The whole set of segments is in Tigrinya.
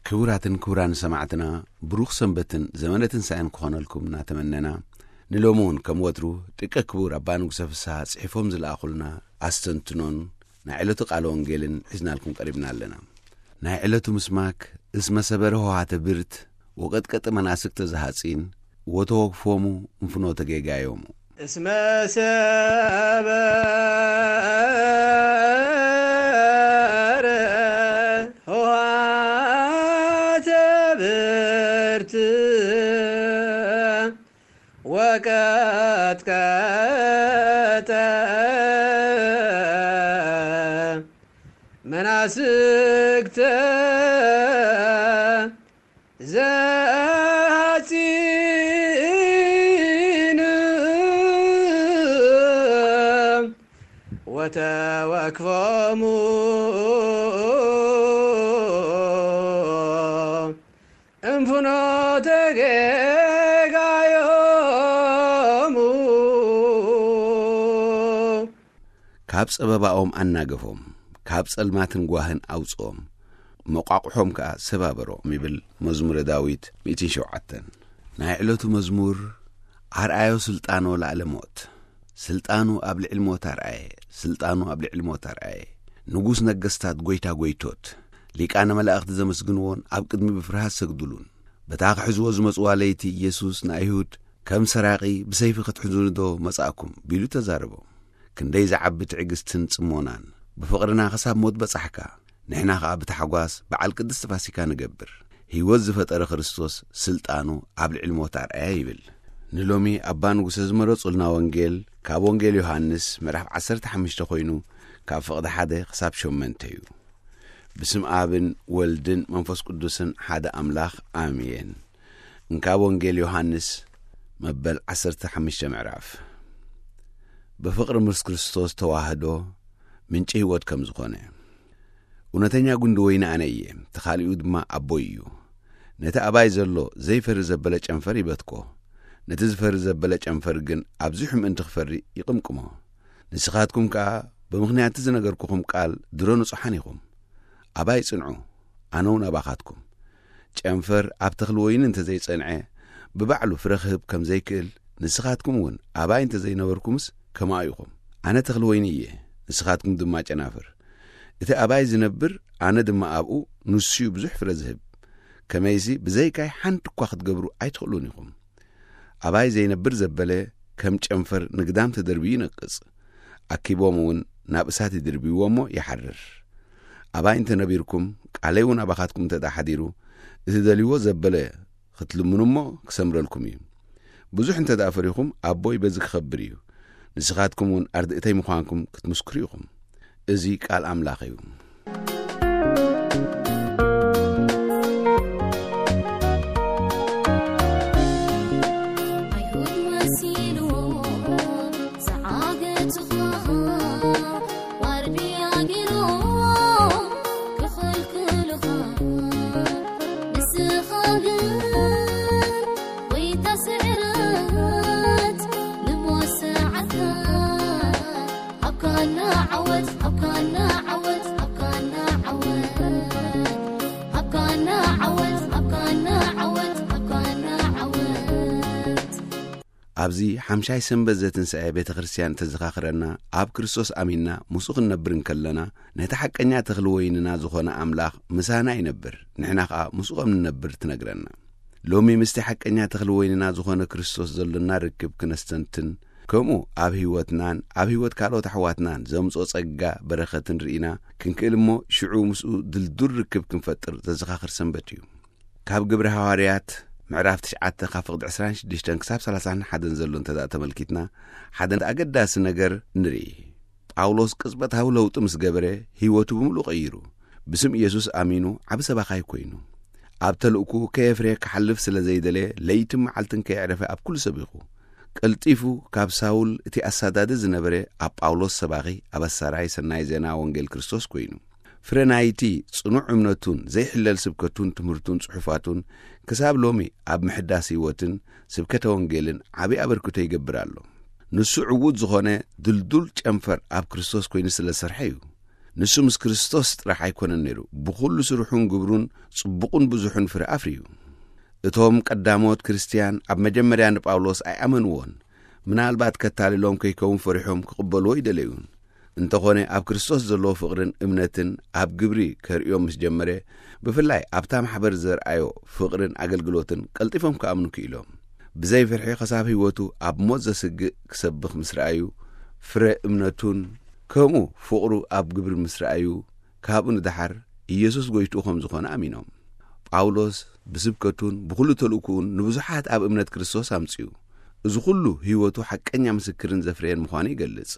ክቡራትን ክቡራን ሰማዕትና፣ ብሩኽ ሰንበትን ዘመነ ትንሳኤን ክኾነልኩም እናተመነና፣ ንሎሚ እውን ከም ወትሩ ደቀ ክቡር ኣባ ንጉሰ ፍስሃ ጽሒፎም ዝለኣኹልና ኣስተንትኖን ናይ ዕለቱ ቃለ ወንጌልን ሒዝናልኩም ቀሪብና ኣለና። ናይ ዕለቱ ምስማክ፣ እስመ ሰበረ ሆሃተ ብርት ወቀጥቀጠ መናስክተ ዘሃጺን ወተወክፎሙ እንፍኖተ ጌጋዮሙ። እስመ ሰበረ ሆሃተ ብርት ወቀጥቀጠ መናስክተ ዘሃጺን ወተወክፎሙ እንፍኖተ ጌጋዮሙ። ካብ ጸበባኦም ኣናገፎም፣ ካብ ጸልማትን ጓህን ኣውጽኦም፣ መቋቑሖም ከኣ ሰባበሮም ይብል መዝሙረ ዳዊት ሚእትን ሸውዓተን። ናይ ዕለቱ መዝሙር ኣርኣዮ ስልጣኖ ላዕለ ሞት፣ ስልጣኑ ኣብ ልዕሊ ሞት ኣርኣየ፣ ስልጣኑ ኣብ ልዕሊ ሞት ኣርኣየ። ንጉስ ነገስታት፣ ጎይታ ጎይቶት፣ ሊቃነ መላእኽቲ ዘመስግንዎን ኣብ ቅድሚ ብፍርሃት ሰግዱሉን። በታ ክሕዝዎ ዝመጽዋ ለይቲ ኢየሱስ ንኣይሁድ ከም ሰራቒ ብሰይፊ ክትሕዙኒ ዶ መጻእኩም ቢሉ ተዛረቦም። ክንደይ ዝዓቢ ትዕግስትን ጽሞናን! ብፍቕርና ክሳብ ሞት በጻሕካ፣ ንሕና ኸኣ ብታሕጓስ በዓል ቅድስቲ ፋሲካ ንገብር። ህይወት ዝፈጠረ ክርስቶስ ስልጣኑ ኣብ ልዕሊ ሞት ኣርኣያ ይብል። ንሎሚ ኣባ ንጉሰ ዝመረጹልና ወንጌል ካብ ወንጌል ዮሃንስ ምዕራፍ ዓሰርተ ሓሙሽተ ኮይኑ ካብ ፍቕዲ ሓደ ክሳብ ሸመንተ እዩ። ብስም ኣብን ወልድን መንፈስ ቅዱስን ሓደ ኣምላኽ ኣሜን። እንካብ ወንጌል ዮሃንስ መበል ዓሰርተ ሓሙሽተ ምዕራፍ። ብፍቕሪ ምስ ክርስቶስ ተዋህዶ ምንጪ ህይወት ከም ዝኾነ። እውነተኛ ጉንዲ ወይኒ ኣነ እየ፣ ተኻሊኡ ድማ ኣቦይ እዩ። ነቲ ኣባይ ዘሎ ዘይፈሪ ዘበለ ጨንፈር ይበትኮ፣ ነቲ ዝፈሪ ዘበለ ጨንፈር ግን ኣብዚሑ ምእንቲ ክፈሪ ይቕምቅሞ። ንስኻትኩም ከኣ ብምኽንያት ዝነገርኩኹም ቃል ድሮ ንጹሓን ኢኹም። ኣባይ ጽንዑ፣ ኣነ እውን ኣባኻትኩም። ጨንፈር ኣብ ተኽሊ ወይኒ እንተ ዘይጸንዐ፣ ብባዕሉ ፍረ ክህብ ከም ዘይክእል፣ ንስኻትኩም እውን ኣባይ እንተ ዘይነበርኩምስ ከማኡ ኢኹም። ኣነ ተኽሊ ወይኒ እየ፣ ንስኻትኩም ድማ ጨናፍር። እቲ ኣባይ ዝነብር፣ ኣነ ድማ ኣብኡ፣ ንሱዩ ብዙሕ ፍረ ዝህብ። ከመይሲ ብዘይካይ ሓንቲ እኳ ክትገብሩ ኣይትኽእሉን ኢኹም። ኣባይ ዘይነብር ዘበለ ከም ጨንፈር ንግዳም ተደርብዩ ይነቅጽ። ኣኪቦም እውን ናብ እሳት ይድርብይዎ እሞ ይሓርር። ኣባይ እንተ ነቢርኩም፣ ቃለይ እውን ኣባኻትኩም እንተ ደኣ ሓዲሩ፣ እቲ ደልይዎ ዘበለ ክትልምኑ እሞ ክሰምረልኩም እዩ። ብዙሕ እንተ ደኣ ፈሪኹም፣ ኣቦይ በዚ ክኸብር እዩ። ንስኻትኩም እውን ኣርድእተይ ምዃንኩም ክትምስክሩ ኢኹም። እዚ ቃል ኣምላኽ እዩ። ኣይሁድ መሲልዎም ዝዓገቱኻ፣ ዋርድያ ገይሮም ክኽልክሉኻ፣ ንስኻ ግን ጎይታ ስዕረት ንሞት ሰዓርካ። ሃብካና ዓወት፣ ሃብካና ዓወት፣ ሃብካና ዓወት። ሃብካና ዓወት፣ ሃብካና ዓወት፣ ሃብካና ዓወት። ኣብዚ ሓምሻይ ሰንበት ዘትንስኤ ቤተ ክርስቲያን እተዘኻኽረና፣ ኣብ ክርስቶስ ኣሚንና ምስኡ ክንነብር እንከለና፣ ነቲ ሓቀኛ ተኽሊ ወይንና ዝኾነ ኣምላኽ ምሳና ይነብር፣ ንሕና ኸኣ ምስኡ ከም ንነብር ትነግረና። ሎሚ ምስቲ ሓቀኛ ተኽሊ ወይንና ዝኾነ ክርስቶስ ዘሎና ርክብ ክነስተንትን፣ ከምኡ ኣብ ህይወትናን ኣብ ህይወት ካልኦት ኣሕዋትናን ዘምጽኦ ጸጋ በረኸትን ርኢና ክንክእል እሞ፣ ሽዑ ምስኡ ድልዱል ርክብ ክንፈጥር ዘዘኻኽር ሰንበት እዩ። ካብ ግብሪ ሃዋርያት ምዕራፍ ትሽዓተ ካብ ፍቕዲ ዕስራን ሽዱሽተን ክሳብ ሰላሳን ሓደን ዘሎ እንተ ደኣ ተመልኪትና፣ ሓደ ኣገዳሲ ነገር ንርኢ። ጳውሎስ ቅጽበታዊ ለውጢ ምስ ገበረ፣ ህይወቱ ብምሉእ ቀይሩ። ብስም ኢየሱስ ኣሚኑ ዓቢ ሰባኻይ ኮይኑ። ኣብ ተልእኩ ከየፍርየ ክሓልፍ ስለ ዘይደለየ፣ ለይትን መዓልትን ከየዕረፈ ኣብ ኩሉ ሰቢኹ። ቀልጢፉ ካብ ሳውል እቲ ኣሳዳዲ ዝነበረ ኣብ ጳውሎስ ሰባኺ፣ ኣበሳራይ ሰናይ ዜና ወንጌል ክርስቶስ ኮይኑ። ፍረ ናይቲ ጽኑዕ እምነቱን ዘይሕለል ስብከቱን ትምህርቱን ጽሑፋቱን ክሳብ ሎሚ ኣብ ምሕዳስ ህይወትን ስብከተ ወንጌልን ዓቢ ኣበርክቶ ይገብር ኣሎ። ንሱ ዕዉት ዝኾነ ድልዱል ጨንፈር ኣብ ክርስቶስ ኮይኑ ስለ ዝሰርሐ እዩ። ንሱ ምስ ክርስቶስ ጥራሕ ኣይኮነን ነይሩ፣ ብኹሉ ስርሑን ግብሩን ጽቡቕን ብዙሕን ፍረ ኣፍርዩ። እቶም ቀዳሞት ክርስትያን ኣብ መጀመርያ ንጳውሎስ ኣይኣመንዎን። ምናልባት ከታልሎም ከይከውን ፈሪሖም ክቕበልዎ ይደለዩን። እንተኾነ ኣብ ክርስቶስ ዘለዎ ፍቕርን እምነትን ኣብ ግብሪ ከርእዮም ምስ ጀመረ፣ ብፍላይ ኣብታ ማሕበር ዘርኣዮ ፍቕርን ኣገልግሎትን ቀልጢፎም ክኣምኑ ክኢሎም። ብዘይ ፍርሒ ከሳብ ህይወቱ ኣብ ሞት ዘስግእ ክሰብኽ ምስ ረኣዩ፣ ፍረ እምነቱን ከምኡ ፍቕሩ ኣብ ግብሪ ምስ ረኣዩ፣ ካብኡ ንደሓር ኢየሱስ ጎይትኡ ከም ዝኾነ ኣሚኖም። ጳውሎስ ብስብከቱን ብኹሉ ተልእኮኡን ንብዙሓት ኣብ እምነት ክርስቶስ ኣምጺኡ። እዚ ኩሉ ህይወቱ ሓቀኛ ምስክርን ዘፍረየን ምዃኑ ይገልጽ።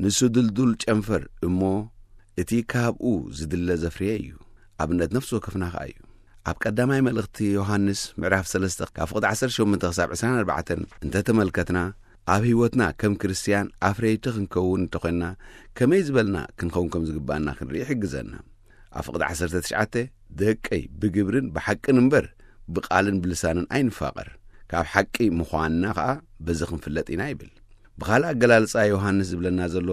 ንሱ ድልዱል ጨንፈር እሞ እቲ ካብኡ ዝድለ ዘፍረየ እዩ። ኣብነት ነፍሲ ወከፍና ከኣ እዩ። ኣብ ቀዳማይ መልእኽቲ ዮሃንስ ምዕራፍ ሰለስተ ካብ ፍቕዲ ዓሰርተ ሸሞንተ ክሳብ ዕስራን ኣርባዕተን እንተተመልከትና፣ ኣብ ህይወትና ከም ክርስትያን ኣፍረይቲ ክንከውን እንተኾንና፣ ከመይ ዝበልና ክንኸውን ከም ዝግባኣና ክንርኢ ይሕግዘና። ኣብ ፍቕዲ ዓሰርተ ትሽዓተ፣ ደቀይ፣ ብግብርን ብሓቅን እምበር ብቓልን ብልሳንን ኣይንፋቐር። ካብ ሓቂ ምዃንና ኸኣ በዚ ክንፍለጥ ኢና ይብል። ብኻልእ ኣገላልጻ ዮሃንስ ዝብለና ዘሎ፣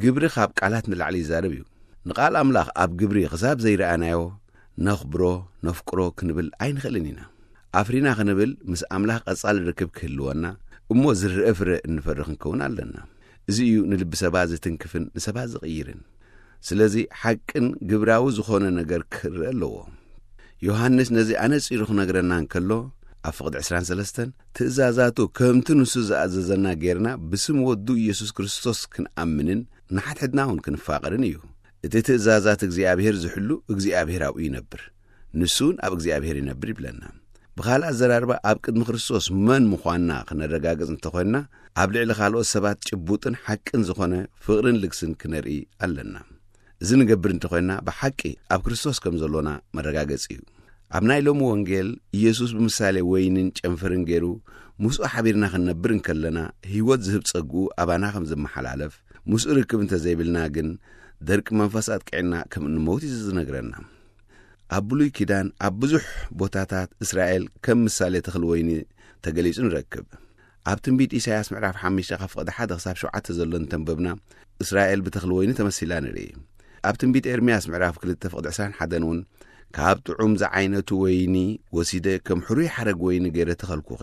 ግብሪ ካብ ቃላት ንላዕሊ ይዛረብ እዩ። ንቓል ኣምላኽ ኣብ ግብሪ ክሳብ ዘይረኣናዮ፣ ነኽብሮ፣ ነፍቅሮ ክንብል ኣይንኽእልን ኢና። ኣፍሪና ክንብል ምስ ኣምላኽ ቀጻሊ ርክብ ክህልወና፣ እሞ ዝረኣ ፍረ እንፈሪ ክንከውን ኣለና። እዚ እዩ ንልቢ ሰባት ዝትንክፍን ንሰባት ዝቕይርን። ስለዚ ሓቅን ግብራዊ ዝኾነ ነገር ክረአ ኣለዎ። ዮሃንስ ነዚ ኣነጺሩ ክነግረና እንከሎ፣ ኣብ ፍቕዲ ዕስራን ሰለስተን፣ ትእዛዛቱ ከምቲ ንሱ ዝኣዘዘና ጌርና ብስም ወዱ ኢየሱስ ክርስቶስ ክንኣምንን ንሓድሕድና እውን ክንፋቐርን እዩ። እቲ ትእዛዛት እግዚኣብሔር ዝሕሉ እግዚኣብሔር ኣብኡ ይነብር፣ ንሱ እውን ኣብ እግዚኣብሔር ይነብር ይብለና። ብኻልእ ኣዘራርባ ኣብ ቅድሚ ክርስቶስ መን ምዃንና ክነረጋግጽ እንተኾንና፣ ኣብ ልዕሊ ካልኦት ሰባት ጭቡጥን ሓቅን ዝኾነ ፍቕርን ልግስን ክነርኢ ኣለና። እዚ ንገብር እንተኾንና ብሓቂ ኣብ ክርስቶስ ከም ዘሎና መረጋገጺ እዩ። ኣብ ናይ ሎሚ ወንጌል ኢየሱስ ብምሳሌ ወይንን ጨንፈርን ገይሩ ምስኡ ሓቢርና ክንነብር እንከለና ህይወት ዝህብ ጸግኡ ኣባና ከም ዝመሓላለፍ፣ ምስኡ ርክብ እንተዘይብልና ግን ደርቂ መንፈስ ኣጥቂዕና ከም እንመውት እዩ ዝነግረና። ኣብ ብሉይ ኪዳን ኣብ ብዙሕ ቦታታት እስራኤል ከም ምሳሌ ተኽሊ ወይኒ ተገሊጹ ንረክብ። ኣብ ትንቢት ኢሳያስ ምዕራፍ ሓሙሽተ ካብ ፍቕዲ ሓደ ክሳብ ሸውዓተ ዘሎ እንተንበብና፣ እስራኤል ብተኽሊ ወይኒ ተመሲላ ንርኢ። ኣብ ትንቢት ኤርምያስ ምዕራፍ ክልተ ፍቕዲ ዕስራን ሓደን እውን፣ ካብ ጥዑም ዝዓይነቱ ወይኒ ወሲደ ከም ሕሩይ ሓረግ ወይኒ ገይረ ተኸልኩኺ፣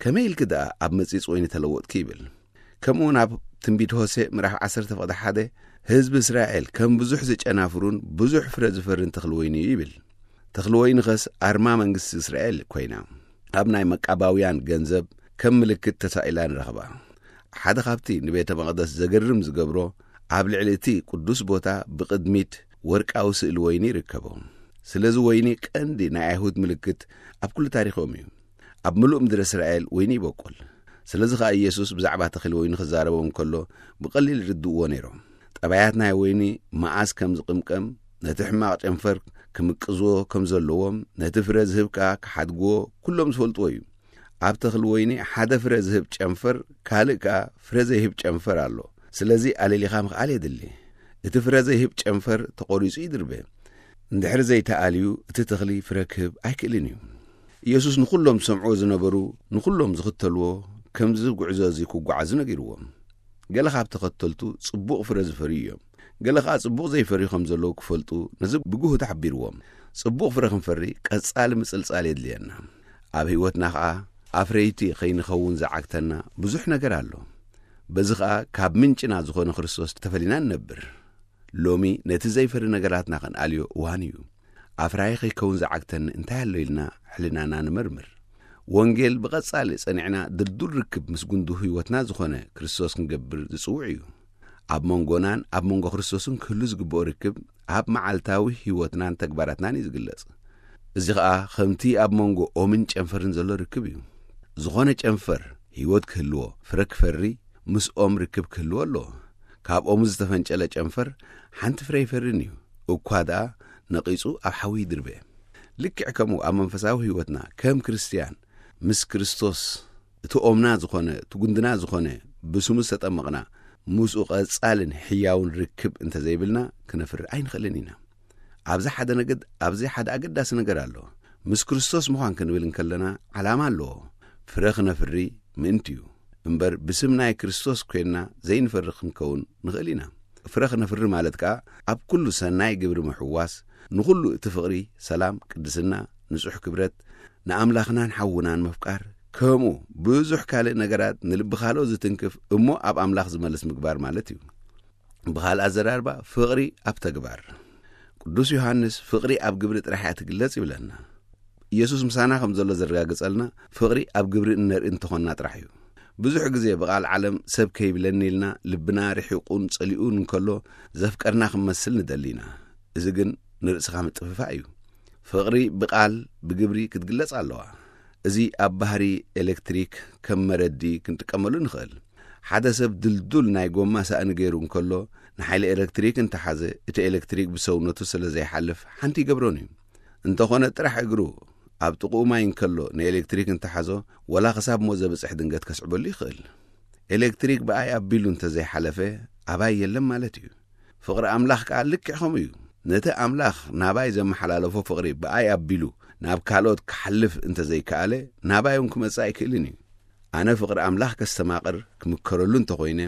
ከመይ ኢልኪ ደኣ ኣብ መጺጽ ወይኒ ተለወጥኪ ይብል። ከምኡ እውን ኣብ ትንቢት ሆሴዕ ምዕራፍ ዓሰርተ ፍቕዲ ሓደ፣ ህዝቢ እስራኤል ከም ብዙሕ ዝጨናፍሩን ብዙሕ ፍረ ዝፈርን ተኽሊ ወይኒ እዩ ይብል። ተኽሊ ወይኒ ኸስ ኣርማ መንግስቲ እስራኤል ኮይና፣ ኣብ ናይ መቃባውያን ገንዘብ ከም ምልክት ተሳኢላ ንረኽባ። ሓደ ካብቲ ንቤተ መቕደስ ዘገርም ዝገብሮ፣ ኣብ ልዕሊ እቲ ቅዱስ ቦታ ብቕድሚት ወርቃዊ ስእሊ ወይኒ ይርከቦ። ስለዚ ወይኒ ቀንዲ ናይ ኣይሁድ ምልክት ኣብ ኩሉ ታሪኾም እዩ። ኣብ ምሉእ ምድሪ እስራኤል ወይኒ ይበቁል። ስለዚ ኸኣ ኢየሱስ ብዛዕባ ተኽሊ ወይኒ ክዛረቦም ከሎ ብቐሊል ይርድእዎ ነይሮም። ጠባያት ናይ ወይኒ መኣስ ከም ዝቕምቀም፣ ነቲ ሕማቕ ጨንፈር ክምቅዝዎ ከም ዘለዎም፣ ነቲ ፍረ ዝህብ ከኣ ክሓድግዎ ኩሎም ዝፈልጥዎ እዩ። ኣብ ተኽሊ ወይኒ ሓደ ፍረ ዝህብ ጨንፈር፣ ካልእ ከኣ ፍረ ዘይህብ ጨንፈር ኣሎ። ስለዚ ኣለሊኻ ምኽኣል የድሊ። እቲ ፍረ ዘይህብ ጨንፈር ተቖሪጹ ይድርበ። እንድሕሪ ዘይተኣልዩ እቲ ተኽሊ ፍረ ክህብ ኣይክእልን እዩ። ኢየሱስ ንኹሎም ዝሰምዕዎ ዝነበሩ፣ ንኹሎም ዝኽተልዎ፣ ከምዚ ጉዕዞ እዚ ክጓዓዙ ነጊርዎም። ገለ ካብ ተኸተልቱ ጽቡቕ ፍረ ዝፈርዩ እዮም። ገለ ኸኣ ጽቡቕ ዘይፈርዩ ከም ዘለዉ ክፈልጡ ነዚ ብግሁድ ሓቢርዎም። ጽቡቕ ፍረ ክንፈሪ ቀጻሊ ምጽልጻል የድልየና። ኣብ ህይወትና ኸኣ ኣፍረይቲ ኸይንኸውን ዝዓግተና ብዙሕ ነገር ኣሎ። በዚ ኸኣ ካብ ምንጭና ዝኾነ ክርስቶስ ተፈሊና ንነብር። ሎሚ ነቲ ዘይፈሪ ነገራትና ክንኣልዮ እዋን እዩ። ኣፍራዪ ከይከውን ዝዓግተኒ እንታይ ኣሎ ኢልና ሕልናና ንመርምር። ወንጌል ብቐጻሊ ጸኒዕና ድልዱል ርክብ ምስ ጉንዱ ህይወትና ዝኾነ ክርስቶስ ክንገብር ዝጽውዕ እዩ። ኣብ መንጎናን ኣብ መንጎ ክርስቶስን ክህሉ ዝግብኦ ርክብ ኣብ መዓልታዊ ህይወትናን ተግባራትናን እዩ ዝግለጽ። እዚ ኸኣ ከምቲ ኣብ መንጎ ኦምን ጨንፈርን ዘሎ ርክብ እዩ። ዝኾነ ጨንፈር ህይወት ክህልዎ፣ ፍረ ክፈሪ፣ ምስ ኦም ርክብ ክህልዎ ኣለዎ። ካብ ኦም ዝተፈንጨለ ጨንፈር ሓንቲ ፍረ ኣይፈርን እዩ። እኳ ደኣ ነቒጹ ኣብ ሓዊ ይድርበ። ልክዕ ከምኡ ኣብ መንፈሳዊ ህይወትና ከም ክርስትያን ምስ ክርስቶስ እቲ ኦምና ዝኾነ፣ እቲ ጉንድና ዝኾነ፣ ብስሙ ዝተጠመቕና፣ ምስኡ ቀጻልን ሕያውን ርክብ እንተዘይብልና ክነፍሪ ኣይንኽእልን ኢና። ኣብዚ ሓደ ነገድ፣ ኣብዚ ሓደ ኣገዳሲ ነገር ኣሎ። ምስ ክርስቶስ ምዃን ክንብል እንከለና ዓላማ ኣለዎ። ፍረ ክነፍሪ ምእንቲ እዩ። እምበር ብስም ናይ ክርስቶስ ኮይንና ዘይንፈሪ ክንከውን ንኽእል ኢና። ፍረ ክነፍሪ ማለት ከኣ ኣብ ኩሉ ሰናይ ግብሪ ምሕዋስ፣ ንኹሉ እቲ ፍቕሪ፣ ሰላም፣ ቅድስና፣ ንጹሕ ክብረት፣ ንኣምላኽናን ሓውናን ምፍቃር፣ ከምኡ ብዙሕ ካልእ ነገራት ንልቢ ካልኦት ዝትንክፍ እሞ ኣብ ኣምላኽ ዝመልስ ምግባር ማለት እዩ። ብኻልእ ኣዘራርባ ፍቕሪ ኣብ ተግባር። ቅዱስ ዮሃንስ ፍቕሪ ኣብ ግብሪ ጥራሕ እያ ትግለጽ ይብለና። ኢየሱስ ምሳና ከም ዘሎ ዘረጋግጸልና ፍቕሪ ኣብ ግብሪ እነርኢ እንተኾንና ጥራሕ እዩ። ብዙሕ ግዜ ብቓል ዓለም ሰብ ከይብለኒ ኢልና ልብና ርሒቑን ጸሊኡን እንከሎ ዘፍቀርና ክንመስል ንደሊ ኢና። እዚ ግን ንርእስኻ ምጥፍፋእ እዩ። ፍቕሪ ብቓል ብግብሪ ክትግለጽ ኣለዋ። እዚ ኣብ ባህሪ ኤሌክትሪክ ከም መረዲ ክንጥቀመሉ ንኽእል። ሓደ ሰብ ድልዱል ናይ ጎማ ሳእኒ ገይሩ እንከሎ ንሓይሊ ኤሌክትሪክ እንተሓዘ እቲ ኤሌክትሪክ ብሰውነቱ ስለ ዘይሓልፍ ሓንቲ ይገብሮን እዩ። እንተኾነ ጥራሕ እግሩ ኣብ ጥቕኡ ማይ እንከሎ ንኤሌክትሪክ እንተሓዞ ወላ ክሳብ ሞት ዘብጽሕ ድንገት ከስዕበሉ ይኽእል። ኤሌክትሪክ ብኣይ ኣቢሉ እንተዘይሓለፈ ኣባይ የለን ማለት እዩ። ፍቕሪ ኣምላኽ ከኣ ልክዕ ከምኡ እዩ። ነቲ ኣምላኽ ናባይ ዘመሓላለፎ ፍቕሪ ብኣይ ኣቢሉ ናብ ካልኦት ክሓልፍ እንተዘይከኣለ ናባይ እውን ክመጽእ ኣይክእልን እዩ። ኣነ ፍቕሪ ኣምላኽ ከስተማቕር ክምከረሉ እንተኾይነ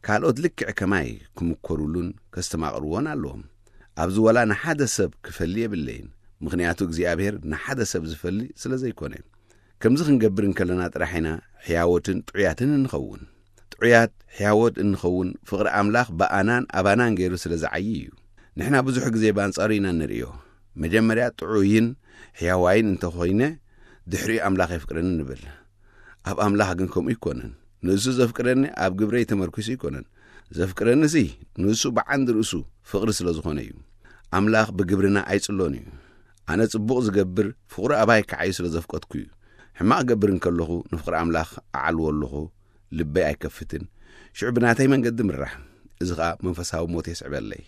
ካልኦት ልክዕ ከማይ ክምከሩሉን ከስተማቕርዎን ኣለዎም። ኣብዚ ወላ ንሓደ ሰብ ክፈሊ የብለይን። ምኽንያቱ እግዚኣብሔር ንሓደ ሰብ ዝፈሊ ስለ ዘይኮነ። ከምዚ ክንገብር እንከለና ጥራሕ ኢና ሕያዎትን ጥዑያትን እንኸውን። ጥዑያት ሕያዎት እንኸውን ፍቕሪ ኣምላኽ ብኣናን ኣባናን ገይሩ ስለ ዝዓዪ እዩ። ንሕና ብዙሕ ግዜ ብኣንጻሩ ኢና ንርእዮ። መጀመርያ ጥዑይን ሕያዋይን እንተኾይነ ድሕሪኡ ኣምላኽ የፍቅረኒ ንብል። ኣብ ኣምላኽ ግን ከምኡ ኣይኮነን። ንሱ ዘፍቅረኒ ኣብ ግብረይ ተመርኪሱ ኣይኮነን። ዘፍቅረኒሲ ንሱ ብዓንዲ ርእሱ ፍቕሪ ስለ ዝኾነ እዩ። ኣምላኽ ብግብርና ኣይጽሎን እዩ። ኣነ ጽቡቕ ዝገብር ፍቕሩ ኣባይ ክዓዩ ስለ ዘፍቀድኩ እዩ። ሕማቕ ገብር እንከለኹ ንፍቕሪ ኣምላኽ ኣዓልዎ ኣለኹ፣ ልበይ ኣይከፍትን። ሽዑ ብናተይ መንገዲ ምራሕ። እዚ ኸኣ መንፈሳዊ ሞት የስዕበለይ።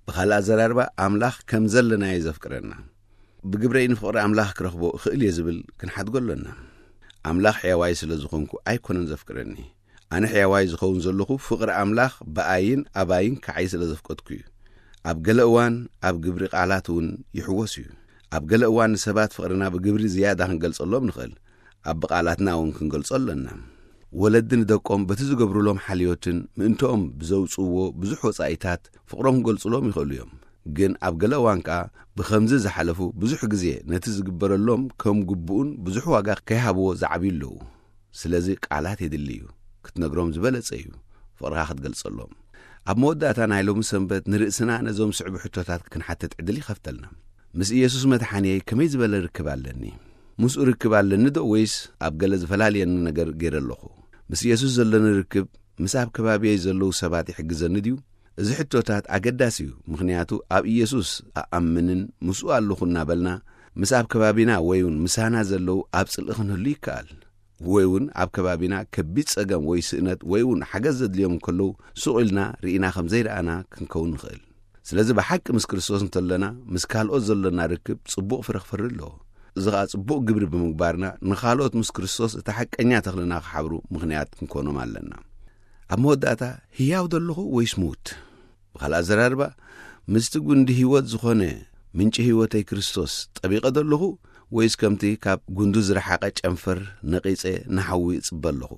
ብኻልእ ኣዘራርባ ኣምላኽ ከም ዘለናዮ ዘፍቅረና። ብግብረይ ንፍቕሪ ኣምላኽ ክረኽቦ እኽእል እየ ዝብል ክንሓድጎ ኣሎና። ኣምላኽ ሕያዋይ ስለ ዝኾንኩ ኣይኮነን ዘፍቅረኒ። ኣነ ሕያዋይ ዝኸውን ዘለኹ ፍቕሪ ኣምላኽ ብኣይን ኣባይን ክዓይ ስለ ዘፍቀድኩ እዩ። ኣብ ገለ እዋን ኣብ ግብሪ ቃላት እውን ይሕወስ እዩ። ኣብ ገለ እዋን ንሰባት ፍቕርና ብግብሪ ዝያዳ ክንገልጸሎም ንኽእል። ኣብ ብቓላትና እውን ክንገልጾ ኣለና። ወለዲ ንደቆም በቲ ዝገብሩሎም ሓልዮትን ምእንትኦም ብዘውጽእዎ ብዙሕ ወጻኢታት ፍቕሮም ክገልጹሎም ይኽእሉ እዮም። ግን ኣብ ገለ እዋን ከኣ ብኸምዚ ዝሓለፉ ብዙሕ ግዜ ነቲ ዝግበረሎም ከም ግቡኡን ብዙሕ ዋጋ ከይሃብዎ ዝዓብዩ ኣለዉ። ስለዚ ቃላት የድሊ እዩ። ክትነግሮም ዝበለጸ እዩ ፍቕርኻ ክትገልጸሎም። ኣብ መወዳእታ ናይ ሎሚ ሰንበት ንርእስና ነዞም ስዕቡ ሕቶታት ክንሓትት ዕድል ይኸፍተልና። ምስ ኢየሱስ መድሓንየይ ከመይ ዝበለ ርክብ ኣለኒ? ምስኡ ርክብ ኣለኒ ዶ ወይስ ኣብ ገለ ዝፈላልየኒ ነገር ገይረ ኣለኹ? ምስ ኢየሱስ ዘለኒ ርክብ ምስ ኣብ ከባቢየይ ዘለዉ ሰባት ይሕግዘኒ ድዩ? እዚ ሕቶታት ኣገዳሲ እዩ፣ ምኽንያቱ ኣብ ኢየሱስ ኣኣምንን ምስኡ ኣለኹ እናበልና ምስ ኣብ ከባቢና ወይ እውን ምሳና ዘለዉ ኣብ ጽልኢ ክንህሉ ይከኣል። ወይ እውን ኣብ ከባቢና ከቢድ ጸገም ወይ ስእነት ወይ እውን ሓገዝ ዘድልዮም እንከለዉ ሱቕ ኢልና ርኢና ከም ዘይረኣና ክንከውን ንኽእል። ስለዚ ብሓቂ ምስ ክርስቶስ እንተለና ምስ ካልኦት ዘሎና ርክብ ጽቡቕ ፍረ ክፈሪ ኣለዎ። እዚ ኸኣ ጽቡቕ ግብሪ ብምግባርና ንኻልኦት ምስ ክርስቶስ እቲ ሓቀኛ ተኽልና ክሓብሩ ምኽንያት ክንኮኖም ኣለና። ኣብ መወዳእታ ህያው ዶ ኣለኹ ወይስ ምዉት? ብኻልእ ኣዘራርባ ምስቲ ጉንዲ ህይወት ዝኾነ ምንጪ ህይወተይ ክርስቶስ ጠቢቐ ዶ ኣለኹ ወይስ ከምቲ ካብ ጉንዱ ዝረሓቐ ጨንፈር ነቒጸ ንሓዊ እጽበ ኣለኹ?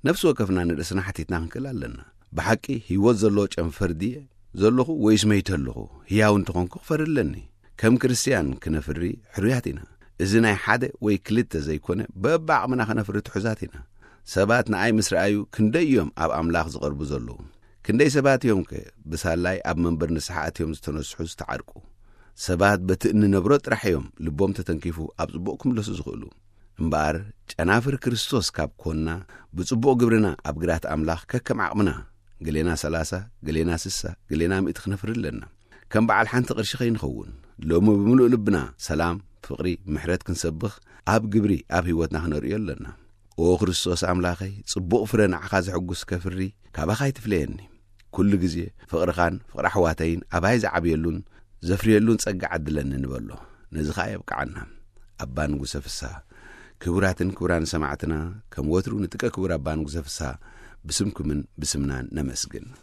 ነፍሲ ወከፍና ንርእስና ሓቲትና ክንክእል ኣለና። ብሓቂ ህይወት ዘለዎ ጨንፈር ድየ ዘለኹ ወይስ መይተ ኣለኹ? ህያው እንተኾንኩ ክፈሪ ኣለኒ። ከም ክርስትያን ክነፍሪ ሕሩያት ኢና። እዚ ናይ ሓደ ወይ ክልተ ዘይኮነ በብዓቕምና ክነፍሪ ትሑዛት ኢና። ሰባት ንኣይ ምስ ረኣዩ ክንደይ እዮም ኣብ ኣምላኽ ዝቐርቡ ዘለዉ? ክንደይ ሰባት እዮም ከ ብሳላይ ኣብ መንበር ንስሓ ኣትዮም ዝተነስሑ ዝተዓርቁ? ሰባት በቲ እንነብሮ ጥራሕ እዮም ልቦም ተተንኪፉ ኣብ ጽቡቕ ክምለሱ ዝኽእሉ። እምበኣር ጨናፍር ክርስቶስ ካብ ኮንና ብጽቡቕ ግብርና ኣብ ግራት ኣምላኽ ከከም ዓቕምና ገሌና ሰላሳ ገሌና ስሳ ገሌና ምእቲ ክነፍሪ ኣለና። ከም በዓል ሓንቲ ቅርሺ ከይንኸውን ሎሚ ብምሉእ ልብና ሰላም፣ ፍቕሪ፣ ምሕረት ክንሰብኽ ኣብ ግብሪ ኣብ ህይወትና ክነርእዮ ኣለና። ኦ ክርስቶስ ኣምላኸይ፣ ጽቡቕ ፍረ ንዓኻ ዘሐጉስ ከፍሪ ካባኻ ኣይትፍለየኒ። ኩሉ ግዜ ፍቕርኻን ፍቕሪ ኣሕዋተይን ኣባይ ዝዓብየሉን ዘፍርየሉን ጸጋ ዓድለኒ ንበሎ። ነዚ ኸኣ የብቅዓና። ኣባ ንጉሰ ፍስሃ። ክቡራትን ክቡራን ሰማዕትና፣ ከም ወትሩ ንጥቀ ክቡር ኣባ ንጉሰ ፍስሃ ብስምኩምን ብስምናን ነመስግን።